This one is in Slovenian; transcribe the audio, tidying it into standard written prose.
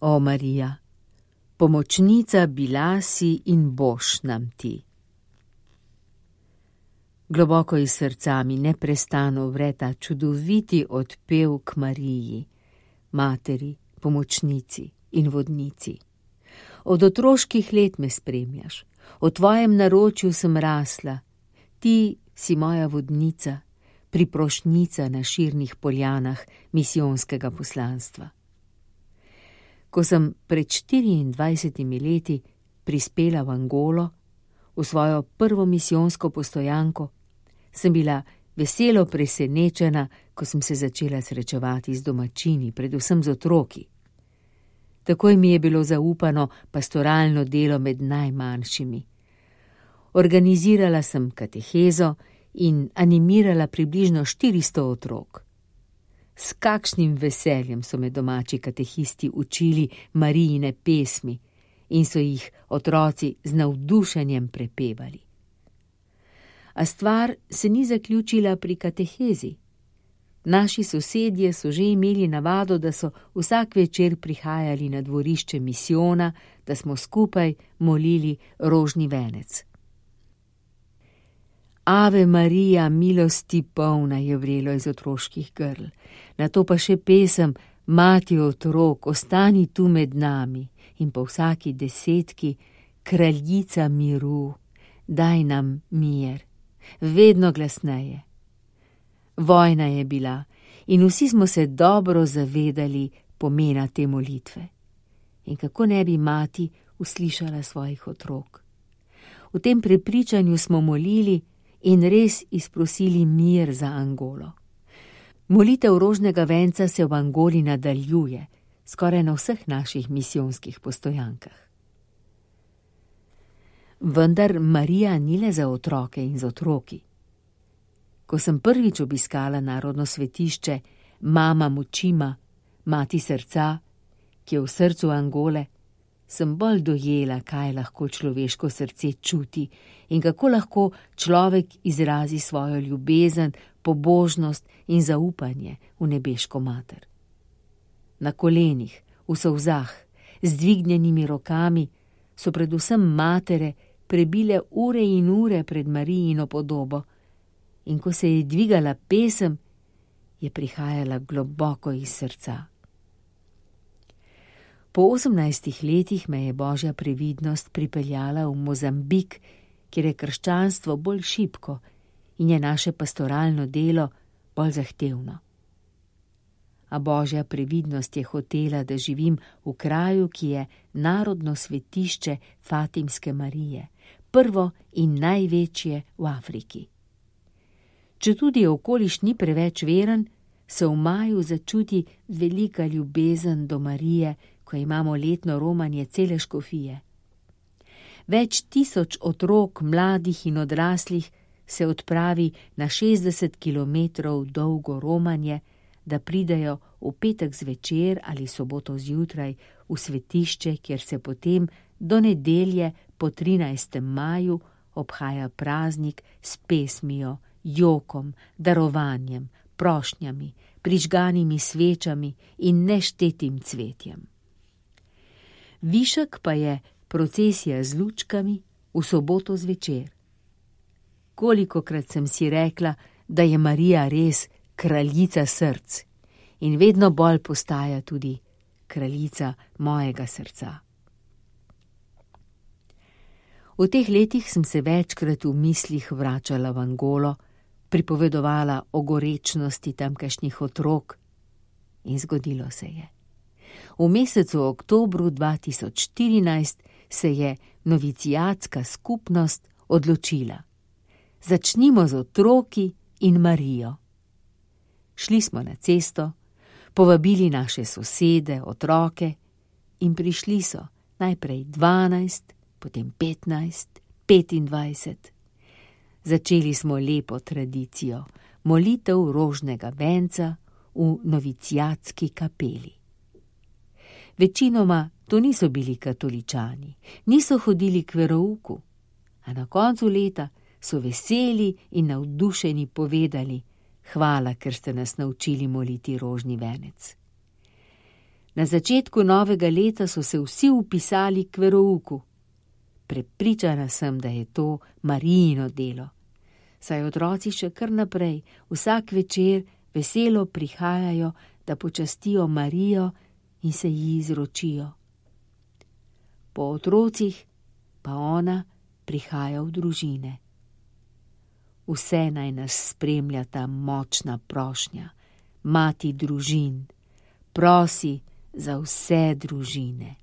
O Marija, pomočnica bila si in boš nam ti. Globoko iz srca mi neprestano vre ta čudoviti odpev k Mariji, materi, pomočnici in vodnici. Od otroških let me spremljaš, v tvojem naročju sem rasla, ti si moja vodnica, priprošnjica na širnih poljanah misijonskega poslanstva. Ko sem pred 24 leti prispela v Angolo, v svojo prvo misijonsko postojanko, sem bila veselo presenečena, ko sem se začela srečevati z domačini, predvsem z otroki. Takoj mi je bilo zaupano pastoralno delo med najmanjšimi. Organizirala sem katehezo in animirala približno 400 otrok. S kakšnim veseljem so me domači katehisti učili Marijine pesmi in so jih otroci z navdušenjem prepevali. A stvar se ni zaključila pri katehezi. Naši sosedje so že imeli navado, da so vsak večer prihajali na dvorišče misijona, da smo skupaj molili rožni venec. Ave Marija, milosti polna, je vrelo iz otroških grl. Nato pa še pesem Mati otrok, ostani tu med nami, in po vsaki desetki Kraljica miru, daj nam mir, vedno glasneje. Vojna je bila in vsi smo se dobro zavedali pomena te molitve. In kako ne bi mati uslišala svojih otrok. V tem prepričanju smo molili in res izprosili mir za Angolo. Molitev rožnega venca se v Angoli nadaljuje, skoraj na vseh naših misijonskih postojankah. Vendar Marija ni le za otroke in za otroki. Ko sem prvič obiskala narodno svetišče Mama Mučima, mati srca, ki je v srcu Angole, sem bolj dojela, kaj lahko človeško srce čuti in kako lahko človek izrazi svojo ljubezen, pobožnost in zaupanje v nebeško mater. Na kolenih, v solzah, z dvignjenimi rokami so predvsem matere prebile ure in ure pred Marijino podobo in ko se je dvigala pesem, je prihajala globoko iz srca. Po 18 letih me je Božja previdnost pripeljala v Mozambik, kjer je krščanstvo bolj šibko in je naše pastoralno delo bolj zahtevno. A Božja previdnost je hotela, da živim v kraju, ki je narodno svetišče Fatimske Marije, prvo in največje v Afriki. Četudi okoliš ni preveč veren, se v maju začuti velika ljubezen do Marije, ko imamo letno romanje cele škofije. Več tisoč otrok, mladih in odraslih se odpravi na 60 kilometrov dolgo romanje, da pridejo v petek zvečer ali soboto zjutraj v svetišče, kjer se potem do nedelje po 13. maju obhaja praznik s pesmijo, jokom, darovanjem, prošnjami, prižganimi svečami in neštetim cvetjem. Višek pa je procesija z lučkami v soboto zvečer. Kolikokrat sem si rekla, da je Marija res kraljica src in vedno bolj postaja tudi kraljica mojega srca. V teh letih sem se večkrat v mislih vračala v Angolo, pripovedovala o gorečnosti tamkajšnjih otrok in zgodilo se je. V mesecu oktobru 2014 se je noviciatska skupnost odločila. Začnimo z otroki in Marijo. Šli smo na cesto, povabili naše sosede, otroke in prišli so najprej 12, potem 15, 25. Začeli smo lepo tradicijo, molitev rožnega venca v noviciatski kapeli. Večinoma to niso bili katoličani, niso hodili k verouku, a na koncu leta so veseli in navdušeni povedali: hvala, ker ste nas naučili moliti rožni venec. Na začetku novega leta so se vsi vpisali k verouku. Prepričana sem, da je to Marijino delo. Saj otroci še kar naprej, vsak večer veselo prihajajo, da počastijo Marijo in se ji izročijo. Po otrocih pa ona prihaja v družine. Vse naj nas spremlja ta močna prošnja, mati družin, prosi za vse družine.